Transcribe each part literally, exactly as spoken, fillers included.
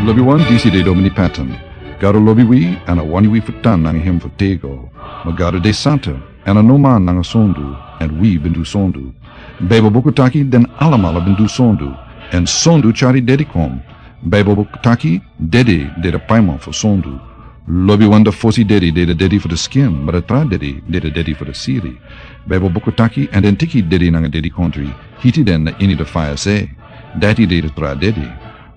Lobi wan, disi de Domini Patton. Gado lobi wi, èn a wani wi fu tan nanga hem fu tego. Ma Gado de santa, èn a no man nanga sondu, èn wi ben du sondu. Baibel buku taki den alamala ben du sondu, èn sondu tyari dedi kon. Baibel buku taki dedi de de paiman fu sondu. Lobi wan, da fosi dedi de de dedi fu de skin, ma da tra dedi de de dedi fu de siri. Baibel buku taki, èn den tiki dedi nanga dedi kontri, hiti den na ini de faya se. Dati de de tra dedi.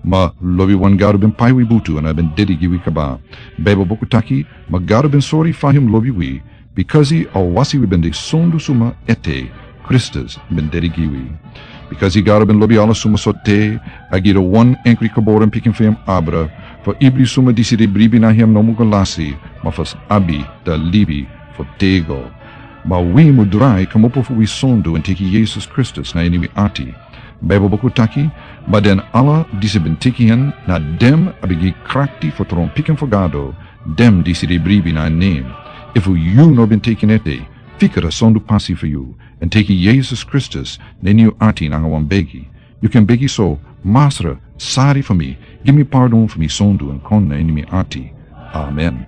Ma lobi wan, Gado ben pai wi butu èn a ben dedi gi wi kaba. Baibel buku taki, ma Gado ben sori fa hem lobi wi, bikasi a wasi wi ben de sondu suma ete, Kristus ben dedi gi wi. Bikasi Gado ben lobi ala suma so te, a gi de wan enkri geboren pikin fu hem abra, fu ibri suma disi de bribi na hem no mu go lasi, ma fu abi da libi fu tego. Ma wi mu drai kmopo fu wi sondu èn teki Yesus Kristus na ini wi ati. Baibel buku taki, ma den ala disi ben teki hen, na den a ben gi krakti fu tron pikin fu Gado, den disi de bribi na en nen. Efu yu no ben teki en ete, fika da sondu pasi fu yu, èn teki Yesus Kristus na ini yu ati nanga wan begi. Yu kan begi so: Masra, sari fu mi, gi mi pardon fu mi sondu èn kon na ini mi ati. Amen.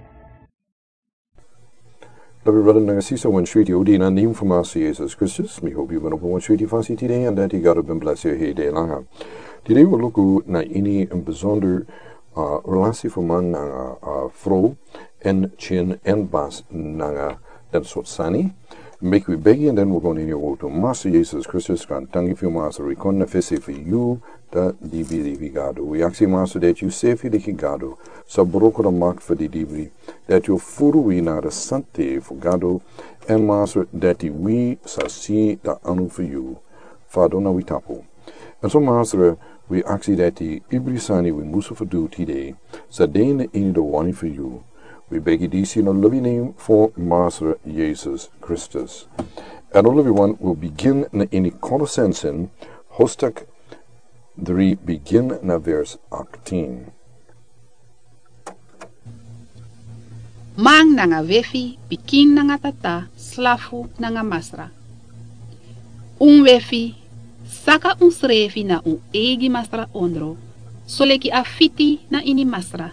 Lobi brada nanga sisa, wan switi odi na nen fu Masra Yesus Kristus. Mi hopi yu ben opo wan switi fasi tide, èn dati Gado ben blesi yu heri de langa. Tide wi luku na ini en besonder, ah, relasi fu man nanga, ah, frow, èn kin èn basi nanga den sortu sani. Meki wi begi èn den wi go na ini yu wotu. Masra Yesus Kristus, gaantangi fu yu Masra, wi kon na fesi fu yu, da libi, libi Gado. Wi aksi Masra dati yu sefi leki Gado sa broko da makti fu di libri, dati yu furu wi na da sante fu Gado, èn Masra dati wi sa si da anu fu yu fadon na wi tapu. Èn so Masra, wi aksi dati ibri sani wi musu fu du tide sa de na ini da wani fu yu. Wi begi disi na lobi nen fu Masra Yesus Kristus. Èn lobi wan, wi bigin na ini Kolosensen, hoofdstuk dri, bigin na vers achttien. Man nanga wefi, pikin nanga tata, slafu nanga masra. Un wefi, saka unsrefi na un eigi masra ondro, soleki a fiti na ini masra.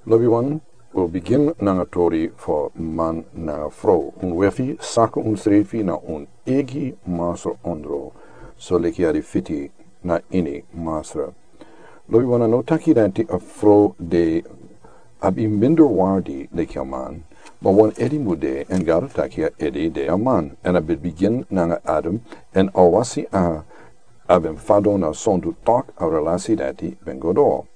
Lobi wan, wi bigin nanga tori fu man nanga frow. Un wefi, saka unsrefi na un eigi masra ondro, soleki a de fiti na ini masra. Lobi wan, a no taki dati a frow de abi minder waardi leki a man, ma wan ede mu de, èn Gado taki a ede de a man, èn a ben bigin nanga Adam, èn a wasi a, a ben fadon na sondu, tok a relasi dati ben go doro.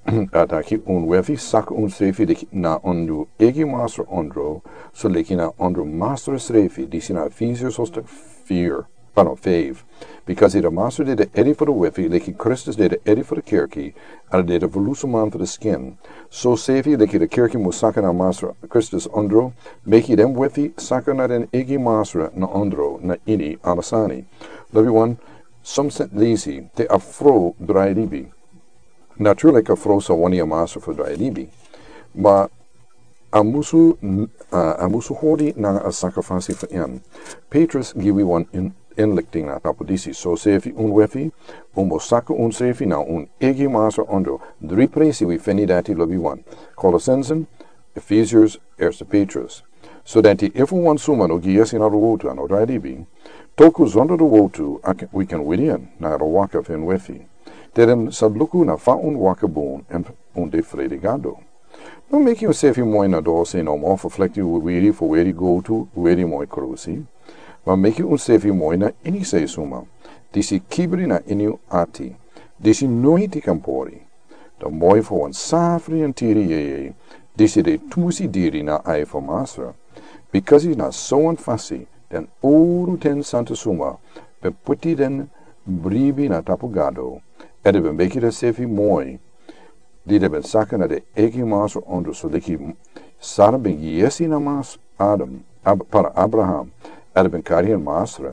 A taki un wefi, saka unsrefi leki na un eigi masra ondro, soleki na ondro masra srefi, disi na Efesiërs hoofdstuk vier. Pardon, vijf. Bikasi da masra de de ede fu da wefi, leki Kristus de de ede fu da kerki, èn a de de volusuman fu da skin. So sefi leki da kerki mu saka na Masra Kristus ondro, meki den wefi saka na den eigi masra na ondro na ini ala sani. Lobi wan, somsen leisi te a frow drai libi. Natuurlik a frow sa wani a masra fu drai libi. Ma a musu, a, a musu hori nanga a saka fasi fu en. Petrus gi wi wan in, inlichting na tapu disi. So sefi un wefi, un mu saka unsrefi na un eigi masra ondro. Dri presi wi feni dati, lobi wan. Kolosensen, Efesiërs, Eerste Petrus. So dati efu wan suma no gi yesi na da wotu, a no drai libi, toku zonder da wotu, a kan, wi kan wini en na da waka fu en wefi. Te den sa luku na fa un waka bun èn un de frede Gado. No meki unsefi moi na dose nomo fu flekti weri fu weri gotu, weri moi krusi. Ma meki unsefi moi na ini sei suma, disi kibri na ini un ati, disi noiti kan pori. Da moi fu wan safri èn tiri yeye, disi de tumusi diri na ai fu Masra. Bikasi na so wan fasi den uru ten santa suma ben puti den bribi na tapu Gado, èn den ben meki densefi moi, di den ben saka na den eigi masra ondro, soleki Sara ben gi yesi na Masra, Adam, Ab-, para Abraham, èn a ben kari en Masra,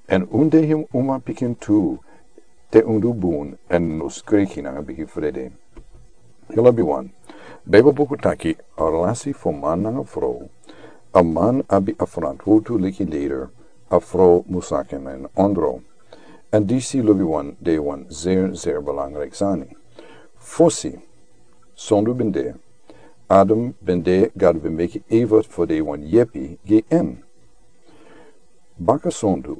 èn un de en uma pikin tu, te un du bun èn no skriki nanga bigi frede. Yu lobi wan. Beibel buku taki, a relasi fu man nanga frow, a man abi a frantwortu leki leider, a frow mus saka na en ondro. Èn disi, lobi wan, de wan zeer, zeer belangrijk sani. Fosi sondu ben de, Adam ben de, Gado ben meki Eva fu de wan yepi gi en. Baka sondu,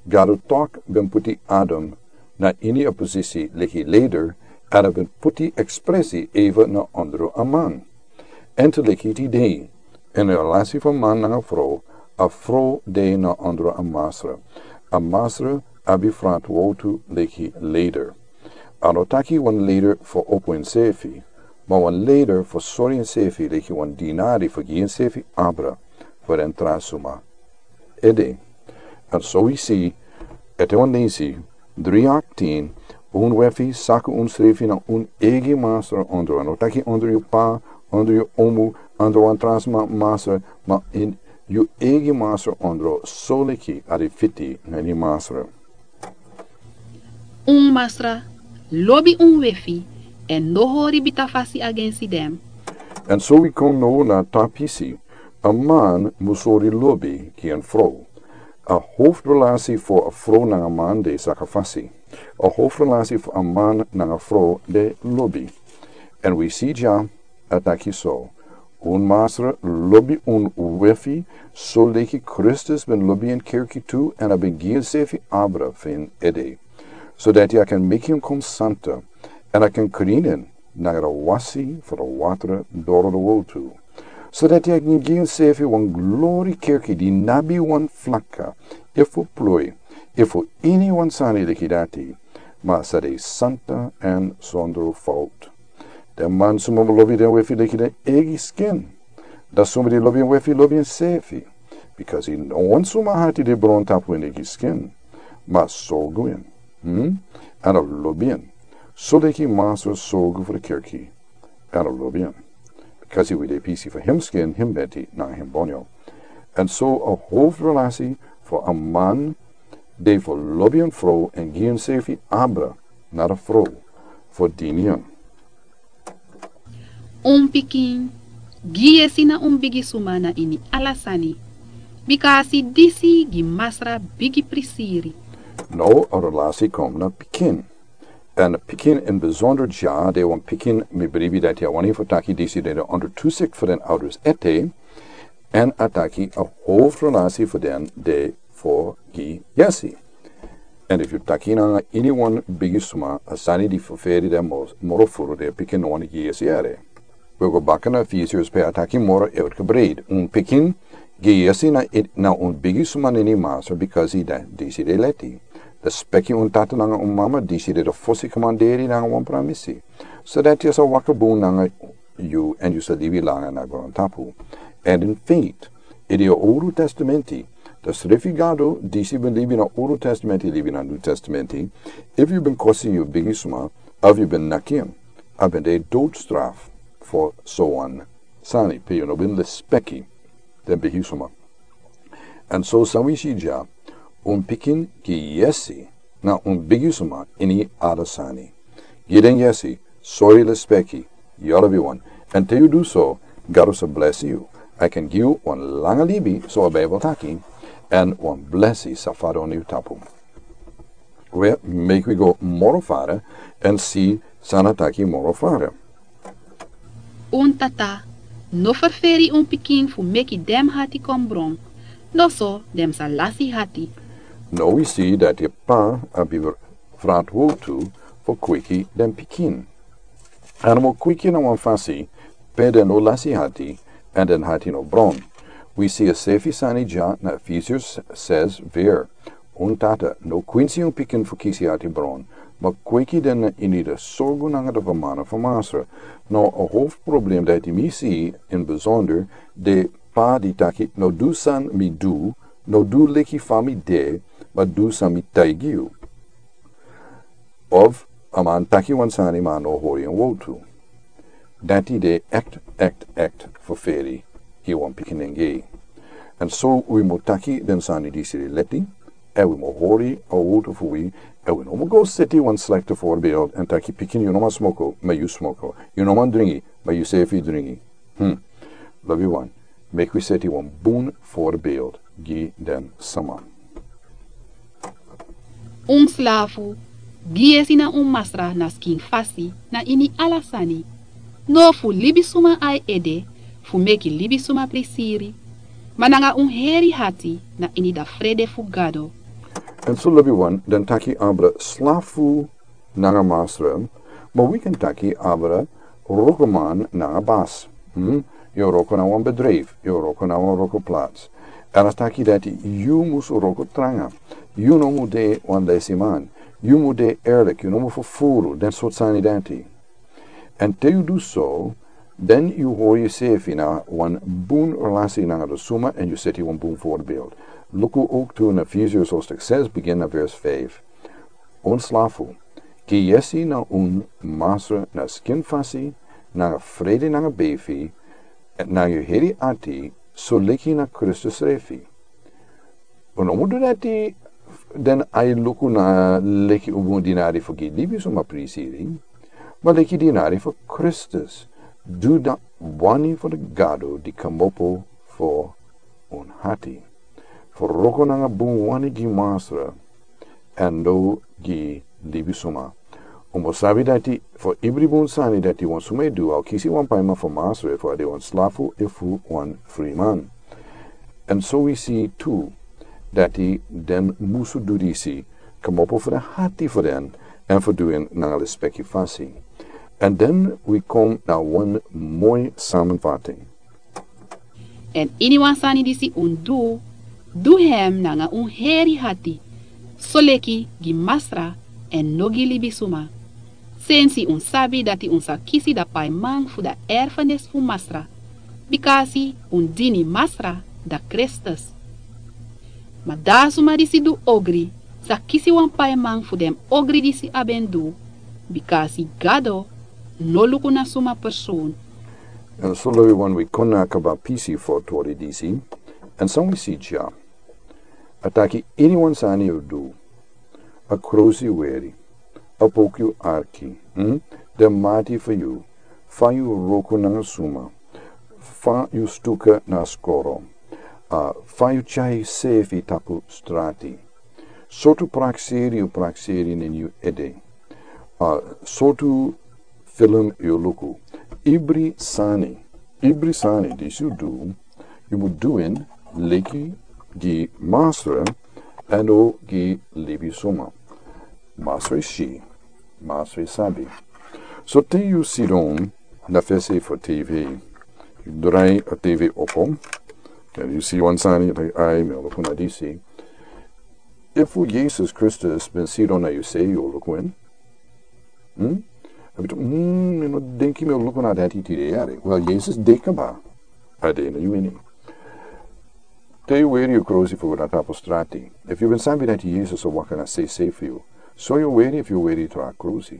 Gado tok ben puti Adam na ini a posisi leki leider, èn a ben puti ekspresi Eva na ondro a man. Èn te leki tide, ini a relasi fu a man nanga frow, a frow de na ondro a masra. A masra abi frantwortu leki leider. A no taki wan leider fu opo ensefi, ma wan leider fu sori ensefi leki wan dinari fu gi ensefi abra fu den tra suma. Ede. Èn so wi si, ete wan leisi, dri aktin, un wefi saka unsrefi na un eigi masra ondro. A no taki ondro yu pa, ondro yu omu, ondro wan tra suma masra, ma ini yu eigi masra ondro, soleki a de fiti na ini masra. Un masra lobi un wefi, èn no hori bita fasi agensi den. Èn so wi kon now na a tra pisi, a man mus hori lobi gi en frow. A hofrelasi fu a frow nanga man de saka fasi. A hofrelasi fu a man nanga frow de lobi. Èn wi si dya, a taki so. Un masra lobi un wefi, soleki Kristus ben lobi en kerki tu, èn a ben gi ensefi abra fu en ede. Sodati a kan meki en kon santa, èn a kan krin en nanga a wasi fu a watra doro a wortu. Sodati a kan gi ensefi wan glori kerki di no abi wan flaka, efu ploi, efu ini wan sani leki dati, ma sa de santa èn sondro fout. Den man suma lobi den wefi leki den eigi skin. Dan suma di lobi en wefi lobi ensefi. Bikasi no wan suma hati de bron tapu en eigi skin. Ma sorgu en. Hmm? Èn a lobi en. Soleki masra sorgu fu a kerki. Èn a lobi en. Bikasi wi de pisi fu hem skin, hem beti, nanga hem bonyo. Èn so a hofrelasi fu a man de fu lobi en frow èn gi ensefi abra na a frow fu dini en. Un pikin, gi yesi na un bigi suma na ini ala sani. Bika a si disi gi masra bigi prisiri. Now a relasi kon na pikin. Èn pikin in bizonder dya, de wan pikin mi bribi dati a wani fu taki disi de de onder toezicht fu den ouders ete, èn a taki a hofrelasi fu den de fu gi yesi. Èn efu yu taki nanga ini wan bigi suma, a sani di fu feri den moro furu de pikin no wani gi yesi ere. Wi go baka na Efesiërs pe a taki moro uitgebreid. Un pikin, gi yesi na, na un bigi suma na ini masra, bikasi disi de leti. Lespeki un tata nanga un mama, disi de de fosi komanderi nanga wan pramisi. Sodati a sa waka bun nanga yu èn yu sa libi langa na grontapu. Èn in feite, ini a Old Testamenti, a srefi Gado disi ben libi na Old Testamenti, libi na New Testamenti, efu yu ben kosi yu bigi suma, of yu ben naki en, a ben de doodstraf fu so wan sani, pe yu no ben lespeki den bigi suma. Èn so san wi si dya, un pikin gi yesi na un bigi suma ini ala sani. Gi den yesi, sori, lespeki, yu lobi wan. Èn te yu du so, Gado sa blesi yu. A kan gi yu wan langa libi, so a Bijbel taki, èn wan blesi sa fadon na yu tapu. We, meki wi go moro fara èn si san a taki moro fara. Un tata no ferferi un pikin fu meki den hati kon bron, noso den sa lasi hati. Now wi si dati a pa abi frantwortu fu kweki den pikin. Èn a mus kweki na wan fasi pe den no lasi hati, èn den hati no bron. Wi si a sefi sani dya na Efesiërs zes vers. Un tata, no kwinsi un pikin fu kisi hati bron, ma kweki den na ini a sorgu nanga a fermana fu Masra. Now a hofproblem dati mi si in bizonder, den pa di taki, no du san mi du, no du leki fa mi de, ma du san mi taigi yu. Of a man taki wan sani ma a no hori en wowtu. Dati de echt, echt, echt ferferi gi wan pikin nengre. Èn so wi mus taki den sani disi leti, èn wi mus hori a wowtu fu wi, èn wi no mus go seti wan slekte voorbeeld èn taki pikin, yu no man smoko, ma yu smoko. Yu no man dringi, ma yu sefi dringi. Hmm. Lobiwan, meki wi seti wan bun voorbeeld gi den sama. Un slafu, Gi yesi na un Masra na skin fasi na ini ala sani, no fu libisuma a e ede fu meki libisuma prisiri, ma nanga un heri hati na ini da frede fu Gado. Èn so lobi wan den taki abra slafu nanga Masra, ma wi kan taki abra rokoman nanga bas. Hmm? Yu o roko na wan bedrijf, yu o roko na wan rokoplats. Èn a taki dati yu mus roko tranga. Yu no mu de wan lesiman. Yu mu de erlik, yu no mu fufuru, den sortu sani dati. Èn te yu du so, den yu hori yusefi na wan bun relasi nanga da suma èn yu seti wan bun voorbeeld. Luku ook tu na Efesiërs hoofdstuk zes, begin na vers vijf. Un slafu, gi yesi na un Masra na skin fasi, nanga frede nanga befi, nanga yu heri ati, soleki na Kristus srefi. Un no mu du dati den a e luku na leki un bun dinari fu gi libisuma prisiri, ma leki dinari fu Kristus, du da wani fu da Gado di kmopo fu un hati. Fu roko nanga bun wani gi Masra, èn no gi libisuma. Un mus sabi dati fu ibri bun sani dati wan suma e du, a o kisi wan paiman fu Masra, efu a de wan slafu efu wan friman. Èn so wi si tu dati den musu du disi, kmopo fu den hati fu den, èn fu du en nanga lespeki fasi. Èn den wi kon na wan moi samenvatting. Èn iniwan sani disi un du, du hem nanga un heri hati, soleki gi Masra èn no gi libisuma. Sensi un sabi dati un sa kisi da paiman fu da erfenis fu Masra, bikasi un dini Masra da Kristus. Ma da suma disi du ogri sa kisi wan paiman fu den ogri disi a ben du, bikasi Gado no luku na suma person. Èn so lobi wan wi kon na kaba pisi fu tori disi, èn san wi si dya. A taki iniwan sani yu du, a krosi weri, a poki yu arki, hmm? Den mati fu yu, fa yu roko nanga suma, fa yu stuka na skoro, a, fa yu tyai sefi tapu strati. Sortu prakseri yu prakseri na yu ede. A, sortu film yu luku. Ibri sani, ibri sani disi yu du, yu mu du en leki gi Masra èn no gi libisuma. Masra e si, Masra e sabi. So te yu sidon na fesi fu TV, yu drai a TV opo, èn yu si wan sani, yu taki, ai, mi o luku na disi. Efu Yesus Kristus ben sidon na yu se, yu o luku en? Hmm? A ben taki, hmm, mi no denki mi o luku na dati tide yari. Wel, Yesus de kaba. A de na yu ini. Te yu weri yu krosi fu go na tapu strati. Efu yu ben sabi dati Yesus o waka na sei sei fu yu, so yu weri efu yu weri tra krosi.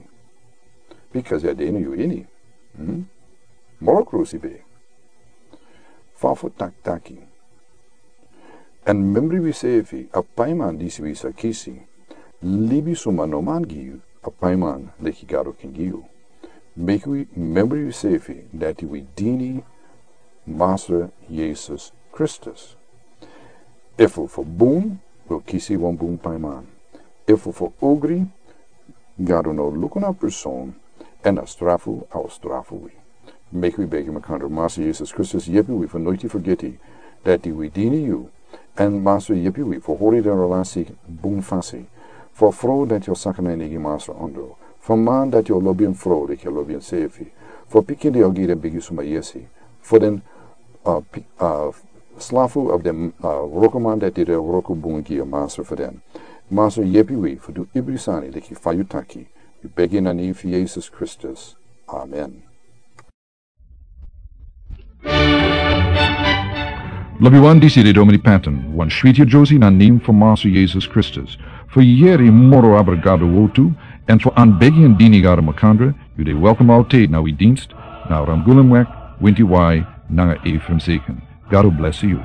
Bikasi a de na yu ini. Hmm? Moro krosi be. Fa fu taki taki. Èn memri wisefi, a paiman disi wi sa kisi. Libisuma no man gi yu a paiman leki Gado ken gi yu. Meki wi memri wisefi dati wi dini Masra Yesus Kristus. Efu fu bun, wi o kisi wan bun paiman. Efu fu ogri, Gado no luku na person, èn a strafu, a o strafu wi. Meki wi begi makandra, Masra Yesus Kristus, yepi wi fu noiti fergeti dati wi dini yu. Èn Masra, yepi wi fu hori den relasi bun fasi. Fu a frow dati o saka na en eigi masra ondro. Fu a man dati o lobi en frow leki a lobi ensefi. Fu a pikin di o gi den bigi suma yesi. Fu den, a, pi-, a, slafu of den, a, wrokoman dati de wroko bun gi a masra fu den. Masra, yepi wi fu du ibri sani leki fa yu taki. Wi begi na nen fu Yesus Kristus. Amen. Lobiwan, disi de Domini Patton, wan switi yere na nen fu Masra Yesus Kristus. Fu yere moro abra Gado wortu, èn fu anbegi èn dini Gado makandra, yu de welkom altijd na wi dienst, na Ramgulemweg, winti wai, nanga Ephraim Zeken. Gado blesi yu.